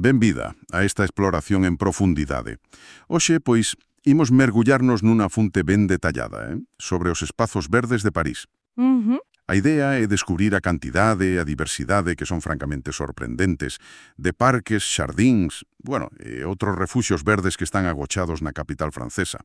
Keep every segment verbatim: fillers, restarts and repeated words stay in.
Benvida a esta exploración en profundidade. Hoxe, pois, imos mergullarnos nunha fonte ben detallada, eh? sobre os espazos verdes de París. Ujú. A idea é descubrir a cantidade e a diversidade que son francamente sorprendentes de parques, xardíns, bueno, e outros refuxios verdes que están agochados na capital francesa.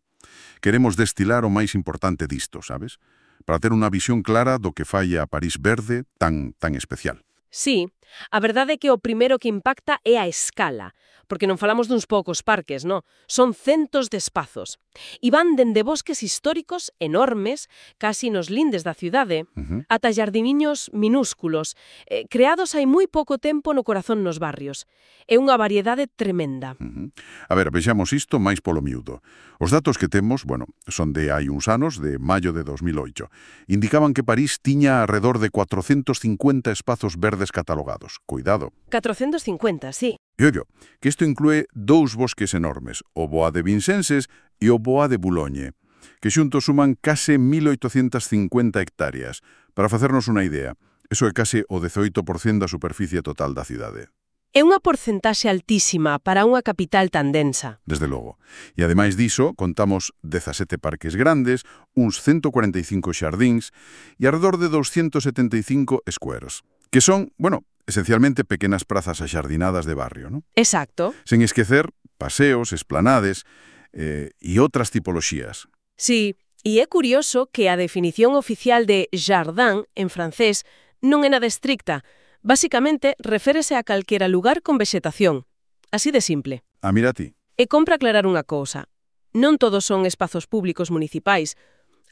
Queremos destilar o máis importante disto, sabes? Para ter unha visión clara do que fai a París verde tan, tan especial. Sí, a verdade é que o primeiro que impacta é a escala, porque non falamos duns poucos parques, no? Son centos de espazos. E van dende bosques históricos enormes, casi nos lindes da cidade, Uh-huh. ata xardiniños minúsculos, eh, creados hai moi pouco tempo no corazón nos barrios. É unha variedade tremenda. Uh-huh. A ver, vexamos isto máis polo miúdo. Os datos que temos, bueno, son de hai uns anos, de maio de dos mil oito. Indicaban que París tiña alrededor de cuatrocentos cincuenta espazos verdes catalogados. Cuidado. catrocentos cincuenta, sí. E ollo, que isto inclúe dous bosques enormes, o Bois de Vincennes e o Bois de Boulogne, que xuntos suman case mil oitocentas cincuenta hectáreas. Para facernos unha idea, eso é case o dezoito por cento da superficie total da cidade. É unha porcentaxe altísima para unha capital tan densa. Desde logo. E ademais diso, contamos dezasete parques grandes, uns ciento cuarenta e cinco xardíns e alrededor de doscientos setenta e cinco squares, que son, bueno, esencialmente pequenas prazas axardinadas de barrio, ¿no? Exacto. Sen esquecer paseos, esplanades eh, e outras tipoloxías. Sí, e é curioso que a definición oficial de jardin en francés non é nada estricta. Básicamente, reférese a calquera lugar con vexetación. Así de simple. Ah, mira ti. E compra aclarar unha cousa. Non todos son espazos públicos municipais.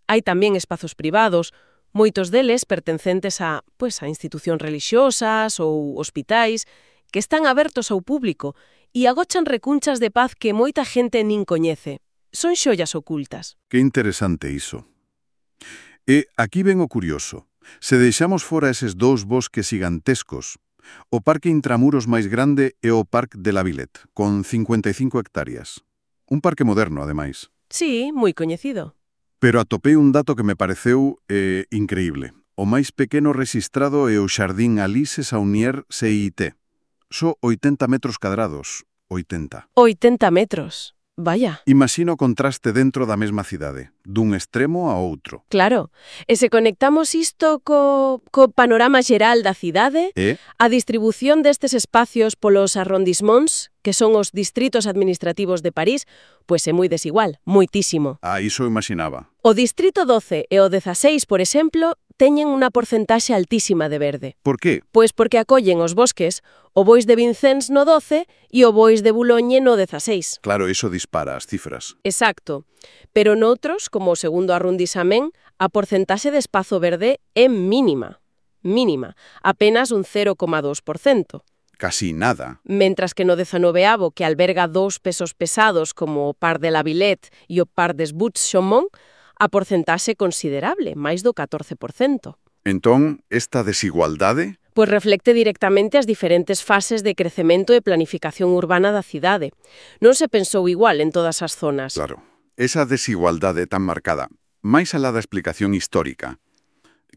Hai tamén espazos privados, moitos deles pertencentes a, pois, a institucións religiosas ou hospitais que están abertos ao público e agochan recunchas de paz que moita xente nin coñece. Son xollas ocultas. Que interesante iso. E aquí ven o curioso. Se deixamos fora eses dous bosques gigantescos, o parque intramuros máis grande é o Parc de la Villette, con cincuenta e cinco hectáreas. Un parque moderno, ademais. Sí, moi coñecido. Pero atopei un dato que me pareceu eh, increíble. O máis pequeno rexistrado é o Xardín Alice Saunier C I T. Só oitenta metros cadrados. oitenta. oitenta metros. Vaya. Imagina o contraste dentro da mesma cidade, dun extremo a outro. Claro. E se conectamos isto co, co panorama xeral da cidade, E, a distribución destes espacios polos arrondissements, que son os distritos administrativos de París, pois é moi desigual, moitísimo. ah, iso imaginaba. O distrito doce e o dezaseis, por exemplo, teñen unha porcentaxe altísima de verde. Por qué? Pois porque acollen os bosques, o Bois de Vincennes no doce e o Bois de Boulogne no dezaseis. Claro, iso dispara as cifras. Exacto. Pero noutros, como o segundo arrondissamento, a porcentaxe de espazo verde é mínima. Mínima. Apenas un cero coma dos por cento. Casi nada. Mentras que no dezanoveavo, que alberga dous pesos pesados como o Parc de la Villette e o Parc des Buttes-Chaumont, a porcentaxe considerable, máis do catorce por cento. Entón, esta desigualdade? Pois reflecte directamente as diferentes fases de crecemento e planificación urbana da cidade. Non se pensou igual en todas as zonas. Claro. Esa desigualdade tan marcada, máis alá da explicación histórica,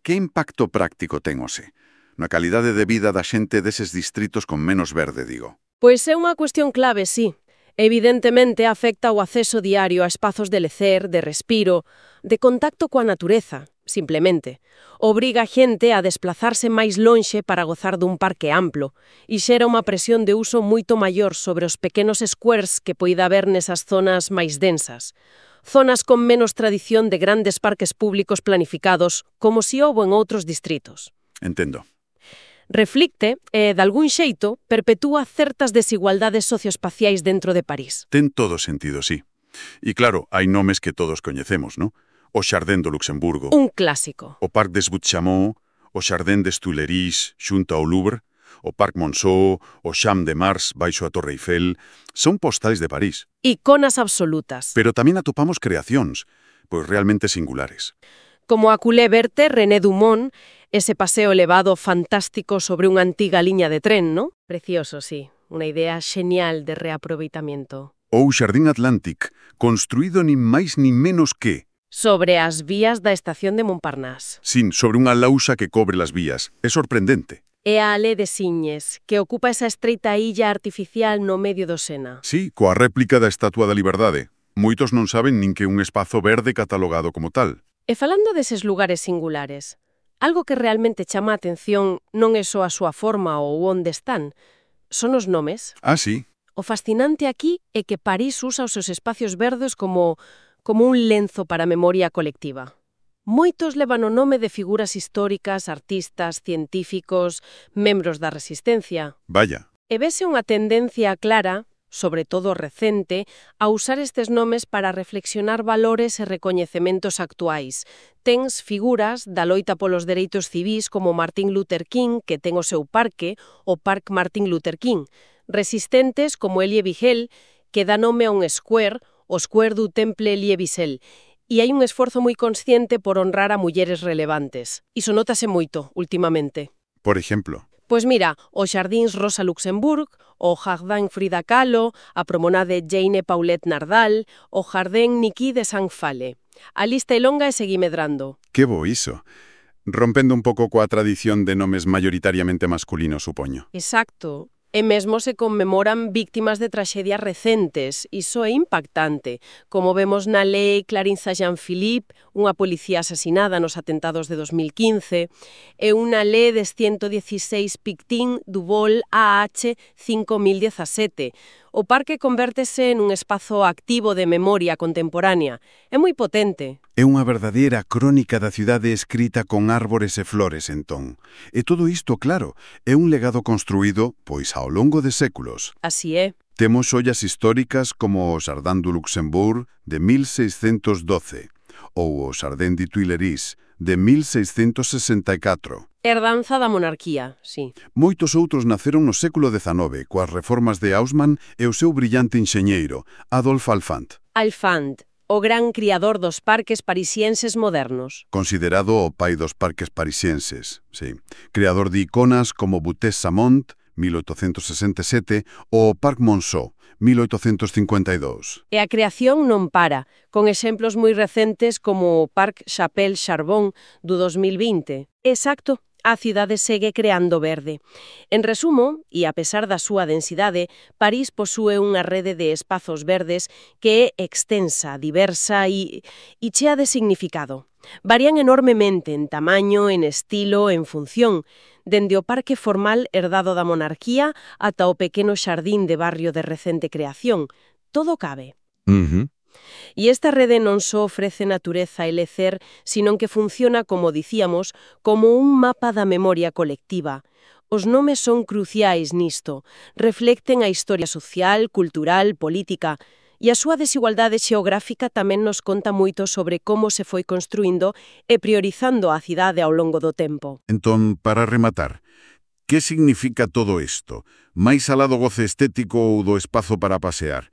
que impacto práctico ten ose? Na calidade de vida da xente deses distritos con menos verde, digo. Pois é unha cuestión clave, sí. Evidentemente afecta o acceso diario a espazos de lecer, de respiro, de contacto coa natureza, simplemente. Obriga a xente a desplazarse máis lonxe para gozar dun parque amplo e xera unha presión de uso moito maior sobre os pequenos squares que poida haber nesas zonas máis densas. Zonas con menos tradición de grandes parques públicos planificados, como si houbo en outros distritos. Entendo. Reflicte e, de algún xeito, perpetúa certas desigualdades socioespaciais dentro de París. Ten todo sentido, sí. E claro, hai nomes que todos coñecemos, ¿no? O Xardín do Luxemburgo, Un clásico. o Parc des Buttes-Chaumont, o Xardín des Tuileries xunto ao Louvre, o Parc Monceau, o Champ de Mars baixo a Torre Eiffel, son postais de París. Iconas absolutas. Pero tamén atopamos creacións, pois realmente singulares. Como a culé verte René Dumont, ese paseo elevado fantástico sobre unha antiga liña de tren, ¿no? Precioso, sí. Unha idea xenial de reaproveitamiento. Ou Xardín Atlantic, construído nin máis nin menos que... Sobre as vías da estación de Montparnasse. Sin, sobre unha lausa que cobre las vías. É sorprendente. É a Ale de Siñes, que ocupa esa estreita illa artificial no medio do Sena. Sí, coa réplica da Estatua da Liberdade. Moitos non saben nin que é un espazo verde catalogado como tal. E falando deses lugares singulares, algo que realmente chama a atención non é só a súa forma ou onde están, son os nomes. Ah, sí? O fascinante aquí é que París usa os seus espacios verdes como, como un lenzo para a memoria colectiva. Moitos levan o nome de figuras históricas, artistas, científicos, membros da resistencia. Vaya. E vese unha tendencia clara, sobre todo recente, a usar estes nomes para reflexionar valores e recoñecementos actuais. Tens figuras da loita polos dereitos civís como Martin Luther King, que ten o seu parque, o Parque Martin Luther King. Resistentes como Elie Wiesel, que dá nome a un square, o Square du Temple Elie Wiesel. E hai un esforzo moi consciente por honrar a mulleres relevantes. Iso nótase moito, últimamente. Por exemplo? Pois mira, os Xardíns Rosa Luxemburg, o Jardín Frida Kahlo, a promenade Jane Paulette Nardal, o Jardín Niki de Sant Fale. A lista é longa e seguí medrando. Que bo iso. Rompendo un pouco coa tradición de nomes mayoritariamente masculinos, supoño. Exacto. E mesmo se conmemoran víctimas de traxedias recentes. Iso é impactante. Como vemos na lei Clarissa Jean-Philippe, unha policía asesinada nos atentados de dos mil quince, e unha lei des ciento dieciséis Pictin du Vol A H cinco mil dezasete. O parque convértese en un espazo activo de memoria contemporánea. É moi potente. É unha verdadeira crónica da cidade escrita con árbores e flores, entón. E todo isto, claro, é un legado construído, pois, ao longo de séculos. Así é. Temos ollas históricas como o Jardin du Luxembourg de mil seiscentos doce ou o Jardin de Tuileries de mil seiscentos sesenta e catro. Herdanza da monarquía, sí. Moitos outros naceron no século dezanove coas reformas de Haussmann e o seu brillante enxeñeiro, Adolphe Alphand. Alphand, o gran criador dos parques parisienses modernos. Considerado o pai dos parques parisienses, sí. Creador de iconas como Buttes-Samont, mil oitocentos sesenta e sete, ou o Parc Monceau, mil oitocentos cincuenta e dous. E a creación non para, con exemplos moi recentes como o Parc Chapelle Charbon do dos mil vinte. Exacto. A cidade segue creando verde. En resumo, e a pesar da súa densidade, París posúe unha rede de espazos verdes que é extensa, diversa e, e chea de significado. Varían enormemente en tamaño, en estilo, en función, dende o parque formal herdado da monarquía ata o pequeno xardín de barrio de recente creación. Todo cabe. Uh-huh. E esta rede non só ofrece natureza e lecer, sino que funciona, como dicíamos, como un mapa da memoria colectiva. Os nomes son cruciais nisto, reflecten a historia social, cultural, política, e a súa desigualdade xeográfica tamén nos conta moito sobre como se foi construindo e priorizando a cidade ao longo do tempo. Entón, para rematar, que significa todo isto? Máis alá do goce estético ou do espazo para pasear?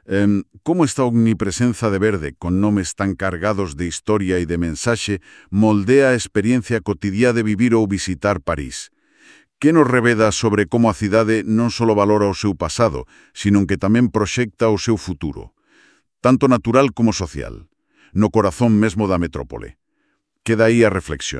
Eh, como esta omnipresenza de verde, con nomes tan cargados de historia e de mensaxe, moldea a experiencia cotidiá de vivir ou visitar París? Que nos reveda sobre como a cidade non só valora o seu pasado, sino que tamén proxecta o seu futuro, tanto natural como social, no corazón mesmo da metrópole? Queda aí a reflexión.